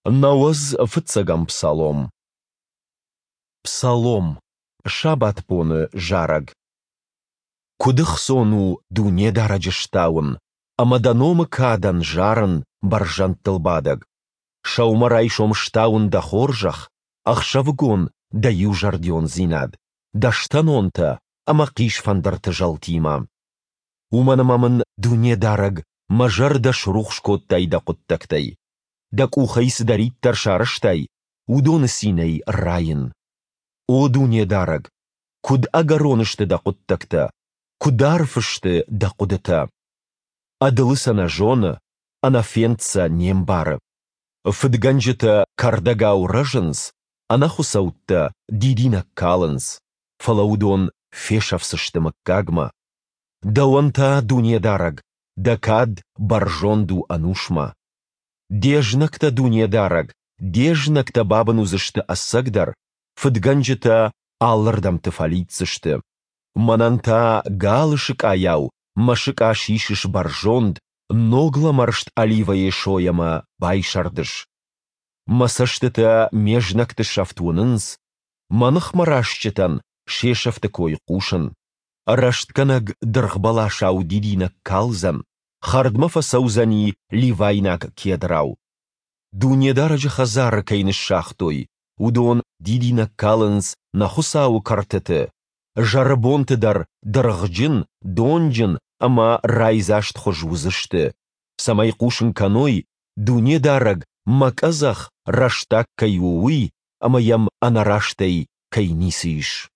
95-ӕм псалом. Псалом. Сабатбоны зарӕг. Куыд ӕхцон у Дунедарӕджы стауын ӕмӕ Дӕ номы кадӕн зарын, Бӕрзӕндтылбадӕг! Сӕумӕрайсом стауын Дӕ хорзӕх, ӕхсӕвыгон Дӕ иузӕрдиондзинад, дӕстӕнонтӕ ӕмӕ хъисфӕндырты зӕлтимӕ. Уымӕн ӕмӕ мын, Дунедарӕг, мӕ зӕрдӕ срухс кодтай Дӕ хъуыддӕгтӕй. Дӕ къухӕй цыдӕриддӕр сарӕзтай, уыдоны цинӕй райын. О Дунедарӕг, куыд ӕгӕрон сты Дӕ хъуыддӕгтӕ, куыд арф сты Дӕ хъуыдытӕ! Ӕдылы сӕ нӕ зоны, ӕнӕфенд сӕ не мбары. Фыдгӕнджытӕ кӕрдӕгау рӕзынц, ӕнӕхуыцӕуттӕ дидинӕг калынц, фӕлӕ уыдон фесӕфдзысты мыггагмӕ. Дӕуӕн та, Дунедарӕг, дӕ кад бӕрзонд у ӕнусмӕ. Де знӕгтӕ, Дунедарӕг, де знӕгтӕ бабын уыдзысты ӕцӕгдӕр, фыдгӕнджытӕ алырдӕмты фӕлидздзысты. Мӕнӕн та галы сыкъайау мӕ сыкъа сисыс бӕрзонд, ног лӕмӕрст оливӕйы сойӕ мӕ байсӕрдыс. Мӕ цӕстытӕ ме знӕгты сӕфт уынынц, мӕ ныхмӕ растджытӕн се сӕфты кой хъусын. Рӕстгӕнӕг дыргъбӕласау дидинӕг калдзӕн, хӕрдмӕ фӕцӕудзӕни ливайнаг кедрау. Дунедарӕджы хӕдзары кӕй ныссагътой, уыдон дидинӕг калынц нӕ Хуыцауы кӕртыты, зӕрыбонты дӕр дыргъджын, донджын ӕмӕ райдзастхуыз уыдзысты, цӕмӕй хъусын кӕной, Дунедарӕг мӕ къӕдзӕх рӕстаг кӕй у, уый ӕмӕ йӕм ӕнӕрастӕй кӕй ницы ис.